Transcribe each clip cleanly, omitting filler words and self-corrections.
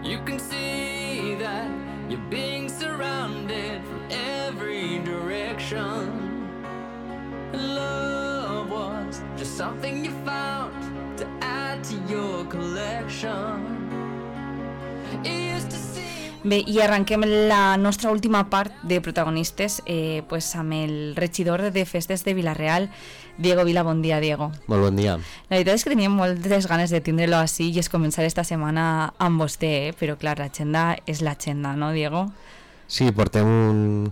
You can see that you're being surrounded from every direction. Love was just something you found to add to your collection. It used to seem... Bé, i arrenquem la nostra última part de protagonistes pues amb el regidor de festes de Vila-real, Diego Vila. Bon dia, Diego. Molt bon dia. La veritat és que teníem moltes ganes de tindre-lo així i es començar esta setmana amb vostè, però clar, l'agenda és l'agenda, no, Diego? Sí, portem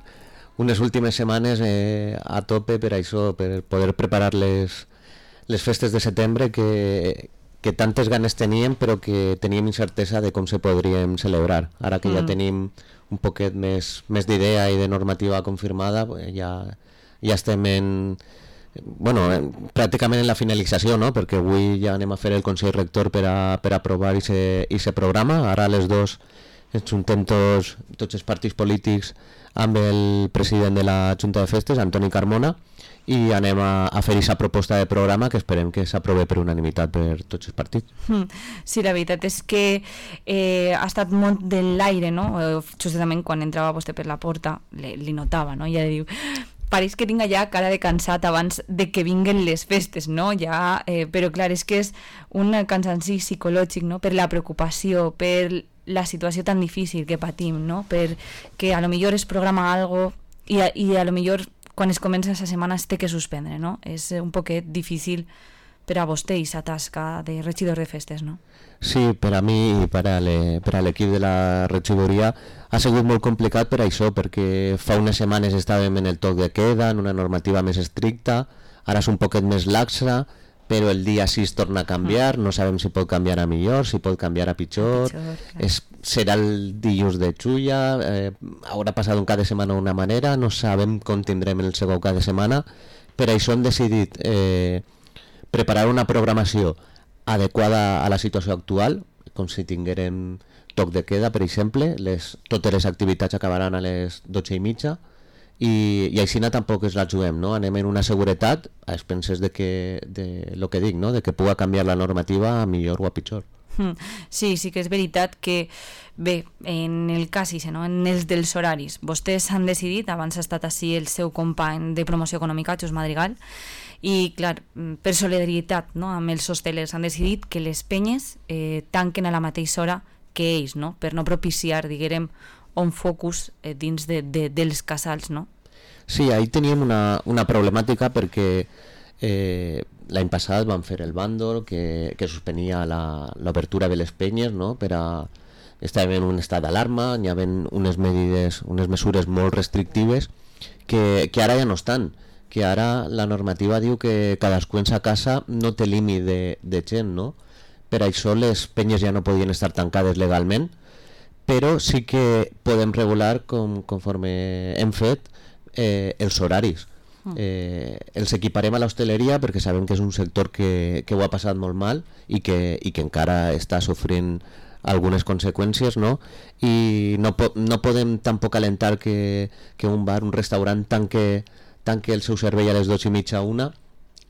unes últimes setmanes a tope per això, per poder preparar les festes de setembre que tantes ganes teníem però que teníem incertesa de com se podríem celebrar. Ara que ja tenim un poquet més d'idea i de normativa confirmada, ja estem pràcticament en la finalització, no? Perquè avui ja anem a fer el Consell Rector per aprovar aquest programa. Ara a les 2 ens juntem tots els partits polítics amb el president de la Junta de Festes, Antoni Carmona, i anem a fer aquesta proposta de programa que esperem que s'aprovi per unanimitat per tots els partits. Sí, la veritat és que ha estat molt de l'aire, no? Justament quan entrava vostè per la porta li notava, no? Ja diu, pareix que tinga ja cara de cansat abans de que vinguen les festes, no? Ja, però clar, és que és un cansanci psicològic, no? Per la preocupació, per la situació tan difícil que patim, no? Per que a lo millor es programa algo i a lo millor quan es comença aquesta setmana es té que suspendre, no? És un poquet difícil per a vostè i sa tasca de regidor de festes, no? Sí, per a mi i per a l'equip de la regidoria ha sigut molt complicat per això, perquè fa unes setmanes estàvem en el toc de queda, en una normativa més estricta, ara és un poquet més laxa, però el dia 6 torna a canviar, no sabem si pot canviar a millor, si pot canviar a pitjor, serà el dilluns de Xulla, haurà passat un cap de setmana d'una manera, no sabem com tindrem el segon cap de setmana, per això hem decidit preparar una programació adequada a la situació actual, com si tinguérem toc de queda, per exemple, totes les activitats acabaran a les 12:30, i així tampoc es la juguem, no? Anem en una seguretat a expenses de lo que dic, no? De que pugui canviar la normativa a millor o a pitjor. Sí que és veritat que bé, en el cas no? En els dels horaris, vostès han decidit, abans ha estat així el seu company de promoció econòmica, Xus Madrigal, i clar, per solidaritat, no? Amb els hostelers han decidit que les penyes tanquen a la mateixa hora que ells, no? Per no propiciar, diguem, un focus dins dels casals, no? Sí, ahí teníem una problemàtica perquè l'any passat van fer el bàndol que suspenia l'obertura de les penyes, no? Estàvem en un estat d'alarma, hi havia unes mesures molt restrictives que ara ja no estan, que ara la normativa diu que cadascú en sa casa no té límit de gent, no? Per això les penyes ja no podien estar tancades legalment, però sí que podem regular conforme hem fet els horaris. Els equiparem a l'hostaleria perquè sabem que és un sector que ho ha passat molt mal i que encara està sofrint algunes conseqüències, no? I no podem tampoc alentar que un bar, un restaurant tanque el seu servei a les 12:30 a 1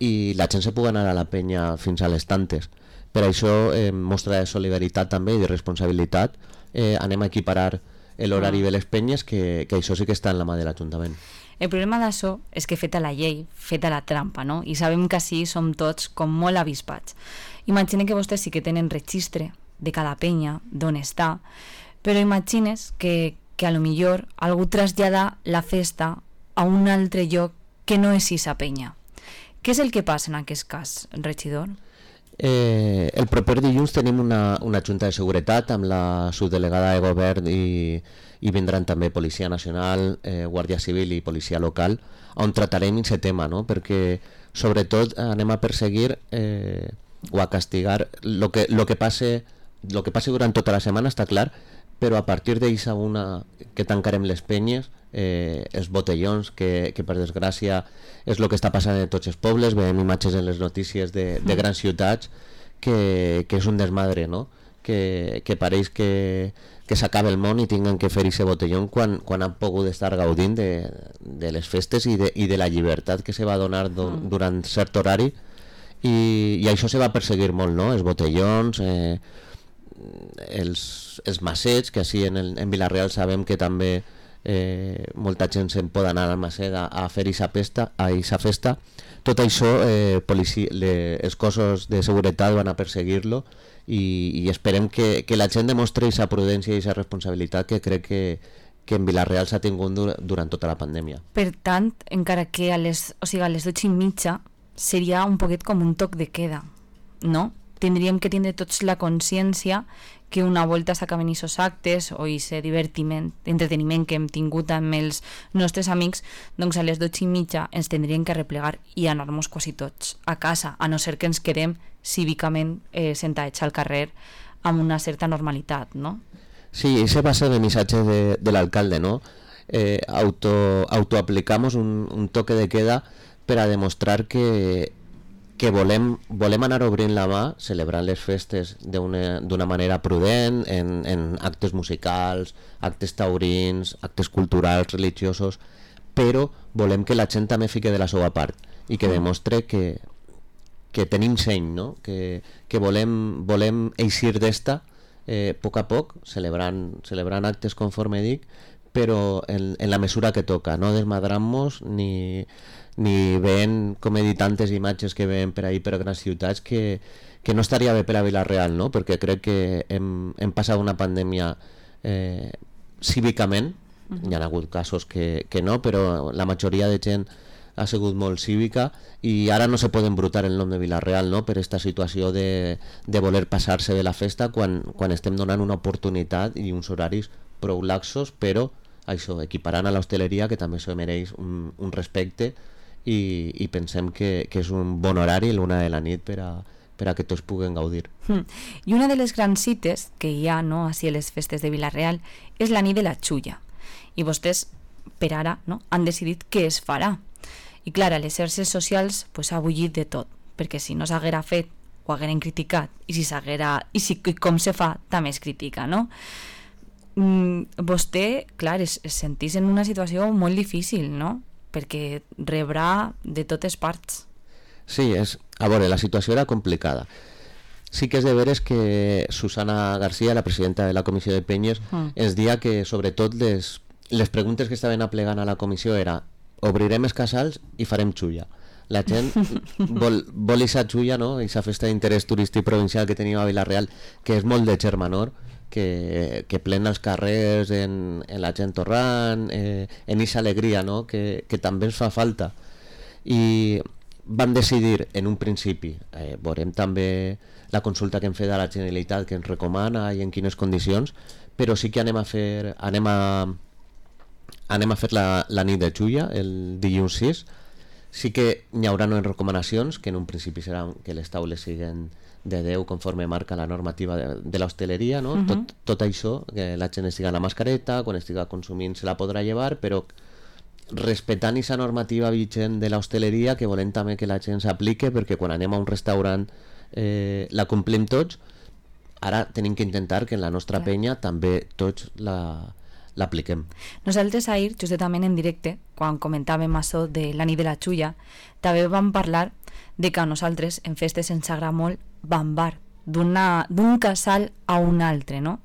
i la gent se pugui anar a la penya fins a les tantes. Per això mostra de solidaritat també i de responsabilitat anem a equiparar l'horari de les penyes, que això sí que està en la mà de l'Ajuntament. El problema d'això és que feta la llei, feta la trampa, no? I sabem que així som tots com molt avispats. Imagina que vostès sí que tenen registre de cada penya, d'on està, però imagines que a lo millor algú trasllada la festa a un altre lloc que no és esa penya. Què és el que passa en aquest cas, regidor? El proper dilluns tenim una junta de seguretat amb la subdelegada de govern i vindran també Policia Nacional, Guàrdia Civil i Policia Local, on tratarem aquest tema, no? Perquè sobretot anem a perseguir o a castigar lo que passe durant tota la setmana, està clar, però a partir d'eixa una que tancarem les penyes, els botellons, que per desgràcia és el que està passant en tots els pobles, veiem imatges en les notícies de grans ciutats, que és un desmadre, no? Que pareix que s'acaba el món i tinguen que fer aquest botellón quan han pogut estar gaudint de les festes i de la llibertat que se va donar durant cert horari, i això se va perseguir molt, no? Els botellons, els macets, que així en Vila-real sabem que també molta gent se'n pot anar al macet a fer aquesta festa. Tot això els cossos de seguretat van a perseguir-lo i esperem que la gent demostri aquesta prudència i aquesta responsabilitat que crec que en Vila-real s'ha tingut durant tota la pandèmia. Per tant, encara que a les 12:30 seria un poquet com un toc de queda, no? Tindríem que tindre tots la consciència que una volta s'acaben aquests actes o aquest entreteniment que hem tingut amb els nostres amics, doncs a les 12:30 ens tindríem que replegar i anar-nos quasi tots a casa, a no ser que ens quedem cívicament sentats al carrer amb una certa normalitat, no? Sí, ese va a ser el missatge de l'alcalde, ¿no? Autoaplicamos un toque de queda per a demostrar que volem anar obrint la mà, celebrant les festes d'una manera prudent, en actes musicals, actes taurins, actes culturals, religiosos, però volem que la gent també fique de la seva part i que demostre que tenim seny, no? Que volem eixir d'esta a poc, celebrant actes conforme dic, però en la mesura que toca, no desmadrant-nos ni veient, com he dit, tantes imatges que veiem per ahir per grans ciutats que no estaria bé per a Vila-real, no? Perquè crec que hem passat una pandèmia cívicament, hi ha hagut casos que no, però la majoria de gent ha sigut molt cívica i ara no se pot embrutar el nom de Vila-real, no? Per aquesta situació de voler passar-se de la festa quan estem donant una oportunitat i uns horaris prou laxos, però això, equiparant a l'hostaleria, que també se mereix un respecte i pensem que és un bon horari l'una de la nit per a que tots puguen gaudir. I una de les grans cites que hi ha, no, així a les festes de Vila-real és la nit de la xulla i vostès per ara, no, han decidit què es farà i clar, a les xarxes socials pues, ha bullit de tot, perquè si no s'haguera fet ho hagueren criticat i si com se fa també es critica, no? Vostè, clar, es sentís en una situació molt difícil, no? Perquè rebrà de totes parts. Sí, a veure, la situació era complicada. Sí que és de veres que Susana García, la presidenta de la comissió de Penyes, ens dia que sobretot les preguntes que estaven aplegant a la comissió era obrirem els casals i farem xulla. La gent vol aquesta xulla, no? Aquesta festa d'interès turístic provincial que tenim a Vila-real, que és molt de germanor, que plena els carrers en la gent torrant, en aquesta alegria, no? Que també ens fa falta. I vam decidir en un principi, veurem també la consulta que hem fet a la Generalitat que ens recomana i en quines condicions, però sí que anem a fer la nit de xulla el dilluns 6. Sí que hi haurà noves recomanacions, que en un principi serà que les taules siguin de 10 conforme marca la normativa de l'hostaleria, no? Tot això, que la gent estiga en la mascareta, quan estiga consumint se la podrà llevar, però respectant aquesta normativa vigent de l'hostaleria, que volem també que la gent s'aplique, perquè quan anem a un restaurant la complim tots. Ara tenim que intentar que en la nostra penya també tots l'apliquem. Nosaltres ahir, justament en directe, quan comentàvem això de la nit de la xulla, també vam parlar de que a nosaltres en festes ens agrada molt bambar d'un casal a un altre, no?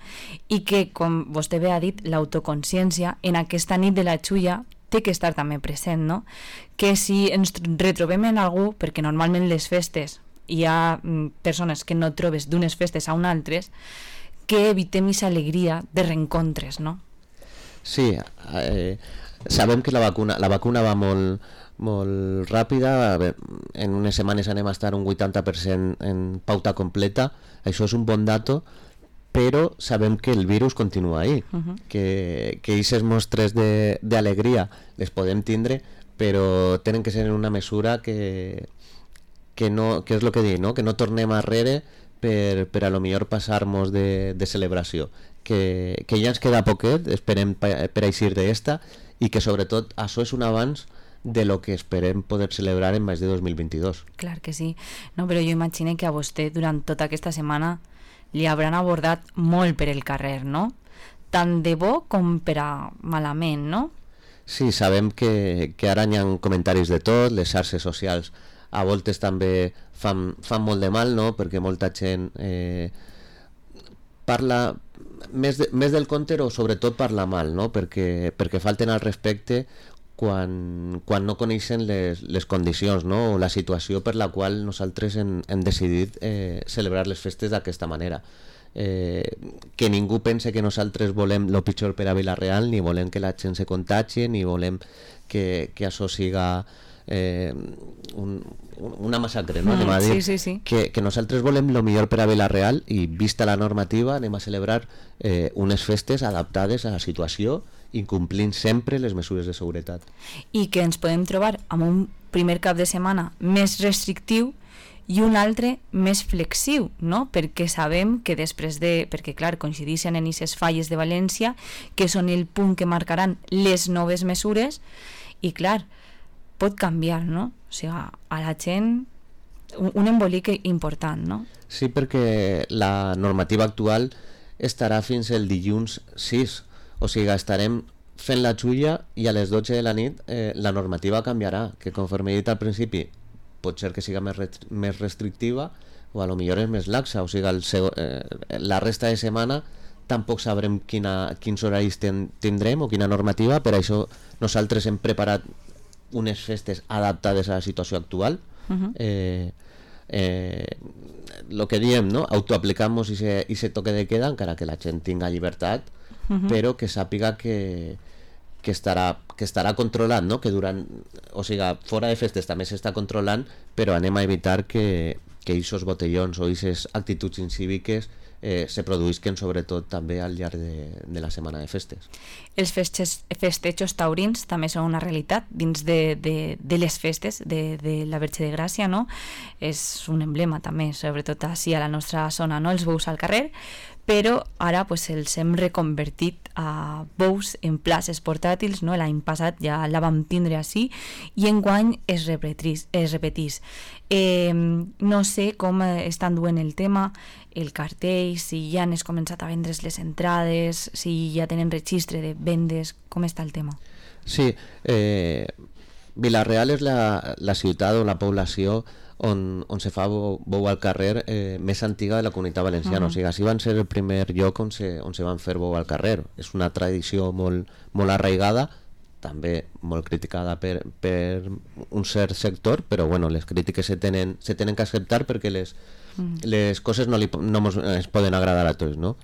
I que, com vostè bé ha dit, l'autoconsciència en aquesta nit de la xulla té que estar també present, no? Que si ens retrobem en algú, perquè normalment les festes hi ha persones que no trobes d'unes festes a unes altres, que evitem aquesta alegria de reencontres, no? Sí, sabem que la vacuna va molt ràpida, en unes setmanes anem a estar un 80% en pauta completa, això és un bon dato, però sabem que el virus continua ahí, que aquestes mostres d'alegria les podem tindre, però tenen que ser en una mesura que és el que dic, no? Que no tornem arrere per a lo millor passar-nos de celebració, que ja ens queda poquet, esperem per eixir d'esta, i que sobretot això és un avanç de lo que esperem poder celebrar en més de 2022. Clar que sí, no, però jo imagino que a vostè durant tota aquesta setmana li hauran abordat molt per el carrer, no? Tant de bo com per a malament, no? Sí, sabem que ara hi ha comentaris de tot, les xarxes socials a voltes també fan molt de mal, no? Perquè molta gent parla més del conte, o sobretot parla mal, no? perquè falten al respecte quan no coneixen les condicions, no? O la situació per la qual nosaltres hem decidit celebrar les festes d'aquesta manera. Que ningú pense que nosaltres volem el pitjor per a Vila-real, ni volem que la gent se contagi, ni volem que això siga una massacre, no? Anem a dir sí. que nosaltres volem el millor per a Vila-real, i vista la normativa anem a celebrar unes festes adaptades a la situació, incomplint sempre les mesures de seguretat. I que ens podem trobar amb un primer cap de setmana més restrictiu i un altre més flexiu, no? Perquè sabem que després perquè clar, coincideixen en aquestes falles de València, que són el punt que marcaran les noves mesures, i clar, pot canviar, no? O sigui, a la gent un embolic important, no? Sí, perquè la normativa actual estarà fins el dilluns 6, o sigui, estarem fent la xulla i a les 12 de la nit la normativa canviarà, que conforme he dit al principi pot ser que siga més restrictiva, o a lo millor és més laxa, o sigui, la resta de setmana tampoc sabrem quins horaris tindrem o quina normativa. Per això nosaltres hem preparat unes festes adaptades a la situació actual. Lo que diem, no? Autoaplicamos ese toque de queda, encara que la gent tinga llibertat, però que sàpiga que estarà controlat, no? Que o sigui, fora de festes també s'està controlant, però anem a evitar que aquests botellons o aquestes actituds incíviques se produïsquen sobretot també al llarg de la setmana de festes. Els festejos taurins també són una realitat dins de les festes de la Verge de Gràcia, no? És un emblema també, sobretot així a la nostra zona, no? Els bous al carrer, però ara pues, els hem reconvertit a bous en places portàtils, no? L'any passat ja la vam tindre així i enguany es repetís. No sé com estan duent el tema, el cartell, si ja han començat a vendre's les entrades, si ja tenen registre de vendes, com està el tema? Sí, Vila-real és la ciutat o la població on se fa bou al carrer més antiga de la Comunitat Valenciana. O sigui, així van ser el primer lloc on se van fer bou al carrer. És una tradició molt arraigada, també molt criticada per un cert sector, però bueno, les crítiques se tenen que acceptar perquè les coses no es poden agradar a tots, no?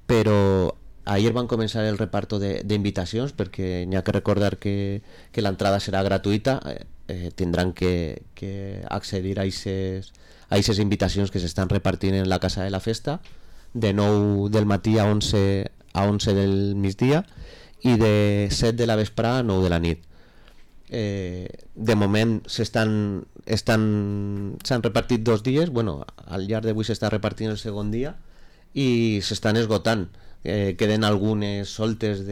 Però ahir van començar el reparto d'invitacions, perquè n'hi ha que recordar que l'entrada serà gratuïta. Tindran que accedir a aquestes invitacions que s'estan repartint en la Casa de la Festa, de 9 del matí a 11 del migdia i de 7 de la vesprada a 9 de la nit. De moment s'han repartit 2 dies, bueno, al llarg d'avui s'està repartint el segon dia i s'estan esgotant. Queden algunes soltes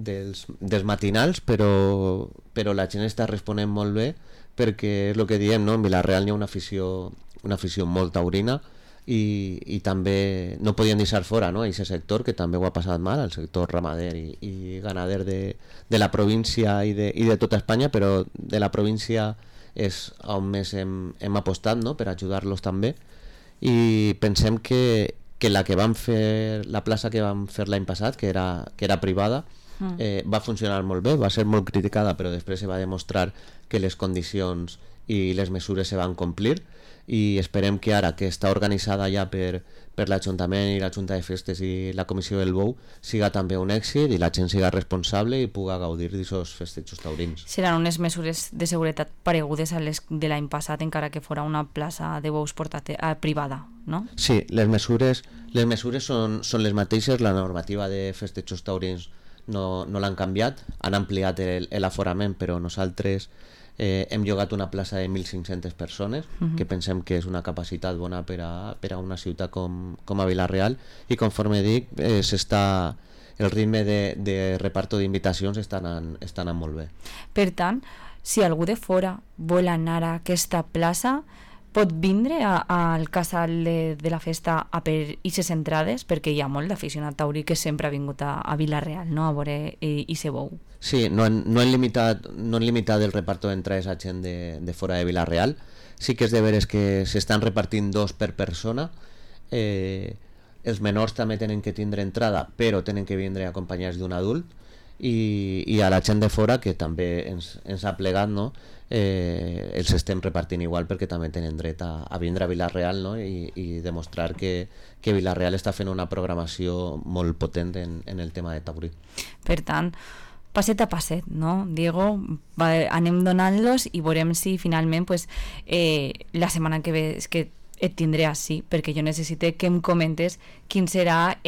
dels matinals, però la gent està responent molt bé, perquè és el que diem, no? En Vila-real hi ha una afició molt taurina i també no podien deixar fora, no? Aquest sector que també ho ha passat mal, el sector ramader i ganader de la província i de tota Espanya, però de la província és on més hem apostat, no? Per ajudar-los també, i pensem que la plaça que vam fer l'any passat, que era privada, va funcionar molt bé, va ser molt criticada, però després se va demostrar que les condicions i les mesures se van complir, i esperem que ara que està organitzada ja per l'Ajuntament i la Junta de Festes i la Comissió del Bou siga també un èxit i la gent siga responsable i puga gaudir d'aquests festejos taurins. Seran unes mesures de seguretat paregudes a les de l'any passat, encara que fora una plaça de bous privada, no? Sí, les mesures són les mateixes. La normativa de festejos taurins no l'han canviat, han ampliat l'aforament, però nosaltres hem llogat una plaça de 1.500 persones, que pensem que és una capacitat bona per a una ciutat com a Vila-real, i conforme dic, el ritme de reparto d'invitacions està anant molt bé. Per tant, si algú de fora vol anar a aquesta plaça, pot vindre al casal de la festa a per aquestes entrades, perquè hi ha molt d'aficionat taurí que sempre ha vingut a Vila-real, no? A veure aquest bou. Sí, no han limitat el reparto d'entrades a gent de fora de Vila-real. Sí que és de veres que s'estan repartint 2 per persona. els menors també tenen que tindre entrada, però tenen que vindre acompanyats d'un adult, i a la gent de fora, que també ens ha plegat, no? Els estem repartint igual, perquè també tenen dret a vindre a Vila-real, no? I demostrar que Vila-real està fent una programació molt potent en el tema de Taburí. Per tant, passet a passet, no, Diego? Anem donant-los i veurem si finalment pues, la setmana que ve és que et tindré així, perquè jo necessite que em comentes quin serà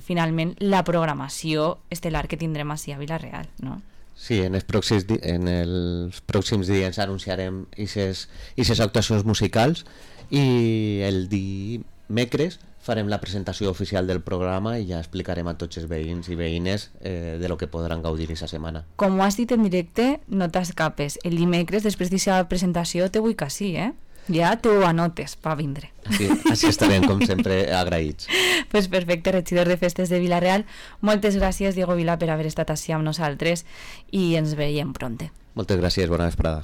finalment la programació estel·lar que tindrem així a Vila-real, no? Sí, en els pròxims dies anunciarem aquestes actuacions musicals, i el dimecres farem la presentació oficial del programa i ja explicarem a tots els veïns i veïnes de lo que podran gaudir aquesta setmana. Com ho has dit en directe, no t'escapes. El dimecres, després d'aquesta presentació, te vull que sí, Ja t'ho anotes per vindre. Així estarem, com sempre, agraïts. Pues perfecte, regidor de Festes de Vila-real. Moltes gràcies, Diego Vila, per haver estat així amb nosaltres, i ens veiem pronte. Moltes gràcies, bona vesprada.